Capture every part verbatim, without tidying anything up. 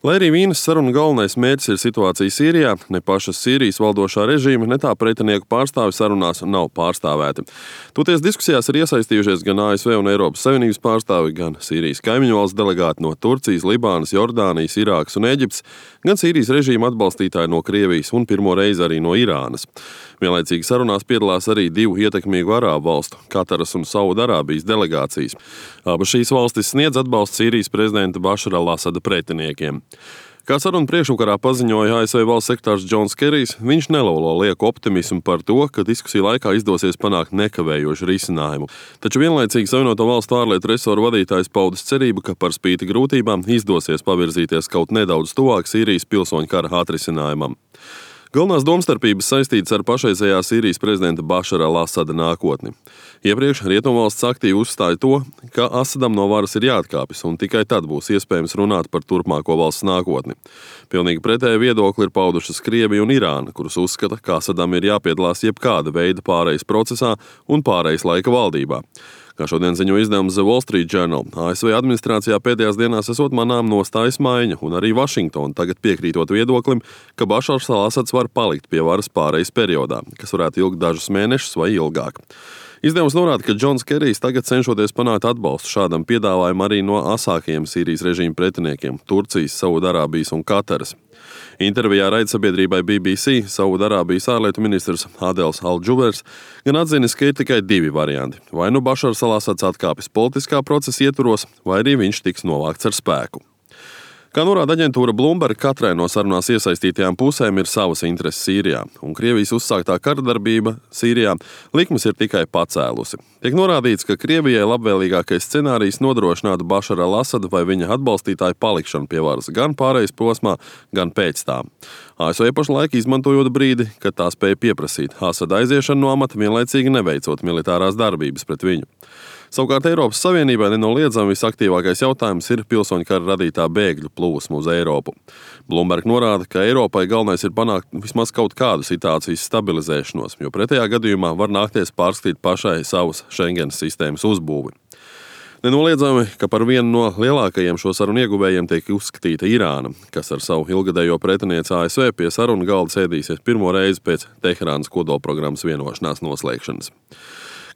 Lai arī Vīnes sarunu galvenais mērķis ir situācija Sīrijā, ne pašas Sīrijas valdošā režīma, ne tā pretinieku pārstāvi sarunās nav pārstāvēti. Toties diskusijās ir iesaistījušies gan A S V un Eiropas Savienības pārstāvi, gan Sīrijas kaimiņu valsts delegāti no Turcijas, Libānas, Jordānijas, Irākas un Eģiptes, gan Sīrijas režīma atbalstītāji no Krievijas un pirmo reizi arī no Irānas. Vienlaicīgi sarunās piedalās arī divu ietekmīgu arābu valstu, Kataras un Saudarābijas delegācijas. Abas šīs valstis sniedz atbalstu Sīrijas prezidenta Bašara al-Asada pretiniekiem. Kā sarunu priekšvakarā paziņoja A S V valsts sekretārs Džons Kerijs, viņš nelolo lieku optimismu par to, ka diskusiju laikā izdosies panākt nekavējošu risinājumu. Taču vienlaicīgi Savienoto valstu ārlietu resoru vadītājs paudis cerību, ka par spīti grūtībām izdosies pavirzīties kaut nedaudz tuvāk Sīrijas pilsoņu kara atrisinājumam. Galvenās domstarpības saistītas ar pašreizējā Sīrijas prezidenta Bašara al-Asada nākotni. Iepriekš Rietumvalsts aktīvi uzstāja to, ka Asadam no varas ir jāatkāpjas, un tikai tad būs iespējams runāt par turpmāko valsts nākotni. Pilnīgi pretēju viedokli ir paudušas Krievija un Irāna, kuras uzskata, ka Asadam ir jāpiedalās jebkāda veida pārejas procesā un pārejas laika valdībā. Kā šodien ziņo izdevums The Wall Street Journal, A S V administrācijā pēdējās dienās esot manām nostājas maiņa, un arī Vašingtona tagad piekrītot viedoklim, ka Bašars al-Asads var palikt pie varas pārejas periodā, kas varētu ilgt dažus mēnešus vai ilgāk. Izdevums norāda, ka Džons Kerijs tagad cenšoties panākt atbalstu šādam piedāvājumam arī no asākajiem Sīrijas režīma pretiniekiem – Turcijas, Saudarābijas un Kataras. Intervijā raidsabiedrībai B B C Saudarābijas ārlietu ministrs Adels Al-Džubers gan atzinis, ka ir tikai divi varianti. Vai nu Bašars al-Asads atkāpjas politiskā procesa ietvaros, vai arī viņš tiks novākts ar spēku. Kā norāda aģentūra Bloomberg, katrai no sarunās iesaistītajām pusēm ir savas intereses Sīrijā, un Krievijas uzsāktā karadarbība Sīrijā likmes ir tikai pacēlusi. Tiek norādīts, ka Krievijai labvēlīgākais scenārijs nodrošinātu Bašara al-Asada vai viņa atbalstītāju palikšanu pie varas gan pārejas posmā, gan pēc tā. A S V pašlaik izmantojot brīdi, kad tā spēja pieprasīt Asada aiziešanu no amata, vienlaicīgi neveicot militārās darbības pret viņu. Savukārt Eiropas Savienībai nenoliedzami visaktīvākais jautājums ir pilsoņu kara radītā bēgļu plūsma uz Eiropu. Bloomberg norāda, ka Eiropai galvenais ir panākt vismaz kaut kādu situācijas stabilizēšanos, jo pretējā gadījumā var nākties pārskatīt pašai savas Schengenas sistēmas uzbūvi. Nenoliedzami, ka par vienu no lielākajiem šo sarunu ieguvējiem tiek uzskatīta Irāna, kas ar savu ilgadējo pretinieci A S V pie sarunu galda sēdīsies pirmo reizi pēc Teherānas kodolprogrammas vienošanās noslēgšanas.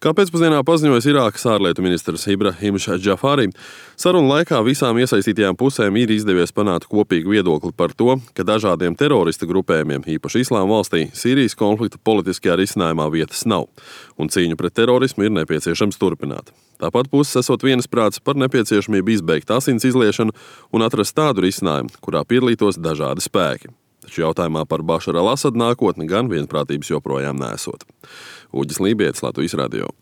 Kā pēcpusdienā paziņojas Irākas ārlietu ministrs Ibrahims Džafari, sarunu laikā visām iesaistītajām pusēm ir izdevies panākt kopīgu viedokli par to, ka dažādiem terorista grupējumiem, īpaši Islāma valstī, Sīrijas konflikta politiskajā risinājumā vietas nav, un cīņu pret terorismu ir nepieciešams turpināt. Tāpat puses esot vienasprāts par nepieciešamību izbeigt asins izliešanu un atrast tādu risinājumu, kurā piedalītos dažādi spēki. Taču jautājumā par Bašara al-Asada nākotni gan vienprātības joprojām neesot. Uģis Lībietis, Latvijas radio.